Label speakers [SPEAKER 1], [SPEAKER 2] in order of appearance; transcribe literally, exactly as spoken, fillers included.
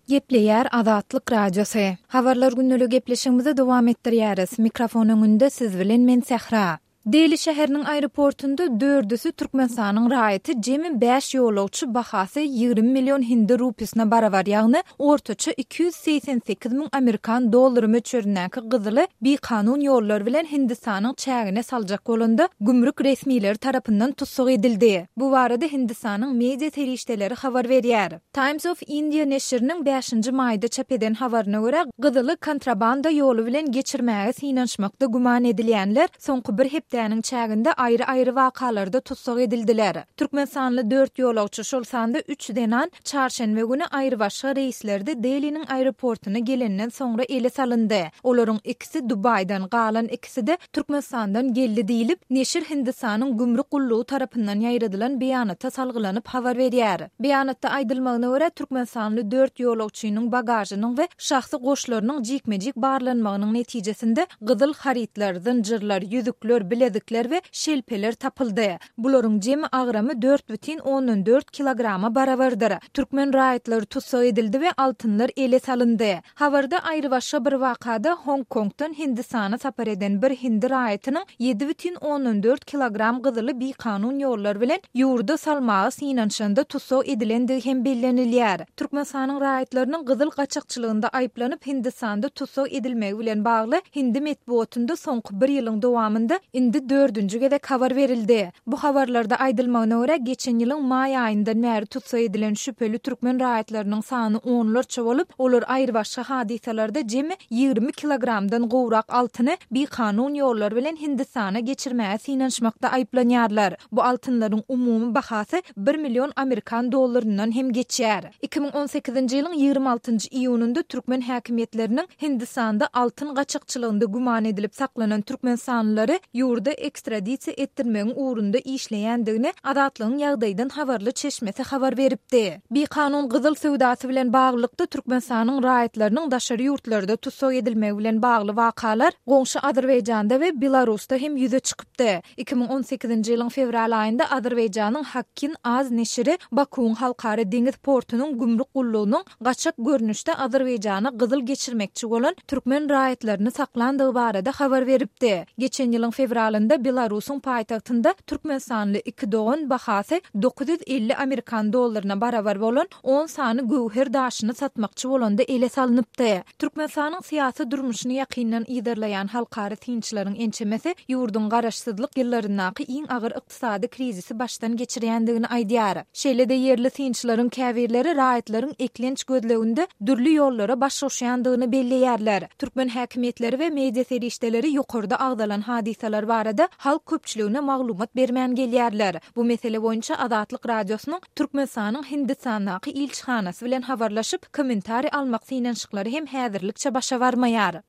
[SPEAKER 1] Gepleýär Azatlyk Radiosy. Habarlar gündelik gepleşigimizi dowam etdirýäris. Mikrofon öňünde siz bilen men Sähra. Deli şäheriniň aeroportunda dördüsi Türkmenistanyň raýaty jemi bäş ýolagçy bahasy ýigrimi million hindi rupisine barabar, ýagny ortaça iki ýüz segsen sekiz müň amerikan dollary möçberindäki gyzyly bikanun ýollar bilen Hindistanyň çägine saljak bolanda gümrük resmileri tarapyndan tussag edildi. Bu barada Hindistanyň media serişdeleri habar berýär. Times of India neşiriniň bäşinji maýda çap eden habaryna görä, gyzyly kontrabanda ýoly bilen geçirmäge synanyşmakda güman edilýänler soňky bir hepdäniň çäginde aýry-aýry wakalarda tussag edildiler. Türkmenistanly dört ýolagçy, şol sanda üç zenan çarşenbe güni aýrybaşga reýslerde Deliniň aeroportuna gelenden soňra ele salyndy. Olaryň ikisi Dubaýdan, galan ikisi-de Türkmenistandan geldi diýlip, neşir Hindistanyň gümrük gullugy tarapyndan ýaýradylan beýanata salgylanyp habar berýär. Beýanatda aýdylmagyna görä, türkmenistanly dört ýolagçynyň bagažynyň we şahsy goşlarynyň jikme-jik barlanmagynyň netijesinde gyzyl harytlar, zynjyrlar, ýüzükler, bilezikler we şelpeler tapyldy. Bularyň jemi agramy dört bütin ondan dört kilograma barabardyr. Türkmen raýatlary tussag edildi we altynlar ele salyndy. Habarda aýrybaşga bir wakada Hong-Kongdan Hindistana sapar eden bir hindi raýatynyň ýedi bütin ondan dört kilogram gyzyly bikanun ýollar bilen ýurda salmaga synanyşanda tussag edilendigi hem bellenilýär. Türkmenistanyň raýatlarynyň gyzyl gaçakçylygynda aýyplanyp Hindistanda tussag edilmegi bilen bagly hindi metbugatynda soňky bir ýylyň dowamynda indi dördünji gezek habar berildi. Bu habarlarda aýdylmagyna görä, geçen ýylyň maý aýyndan bäri tussag edilen şübheli türkmen raýatlarynyň sany onlarça bolup, olar aýrybaşga hadysalarda jemi ýigrimi kilogramdan gowrak altyny bikanun ýollar bilen Hindistana geçirmäge synanyşmakda aýyplanýarlar. Bu altynlaryň umumy bahasy bir million amerikan dollaryndan hem geçýär. Iki müň on sekizinji ýylyň ýigrimi altynjy iýunynda türkmen häkimiýetleriniň Hindistanda altyn gaçakçylygynda güman edilip saklanan türkmenistanlylary ýurda ekstradisiýa etdirmegiň ugrunda işleýändigini Azatlygyň ýagdaýdan habarly çeşmesi habar beripdi. Bikanun gyzyl söwdasy bilen baglylykda Türkmenistanyň raýatlarynyň daşary ýurtlarda tussag edilmegi bilen bagly wakalar goňşy Azerbaýjanda we Belarusda hem ýüze çykypdy. Iki müň on sekizinji ýylyň fewral aýynda Azerbaýjanyň Hakkin Az neşiri Bakuwyň halkara deňiz portunyň gümrük gullugynyň gaçak görnüşde Azerbaýjana gyzyl geçirmekçi bolan türkmen raýatlaryny saklandygy barada habar beripdi. Geçen ýylyň fewralynda Belarusyň paýtagtynda türkmenistanly iki dogan bahasy dokuz ýüz elli amerikan dollaryna barabar bolan on sany göwher daşyny satmakçy bolanda ele salnypdy. Türkmenistanyň syýasy durmuşyny ýakyndan yzarlaýan halkara synçylaryň ençemesi ýurduň garaşsyzlyk ýyllaryndaky iň agyr ykdysady krizisi başdan geçirýändigini aýdýar. Şeýle-de ýerli synçylaryň käbirleri raýatlaryň eklenç gözleginde dürli ýollara baş goşýandygyny belleýärler. Türkmen häkimiýetleri we media serişdeleri ýokarda agzalan hadysalar barada halk köpçüligine maglumat bermän gelýärler. Bu mesele boýunça Azatlyk Radiosynyň Türkmenistanyň Hindistandaky ilçihanasy bilen habarlaşyp, kommentariý almak synanyşyklary hem häzirlikçe başa barmaýar.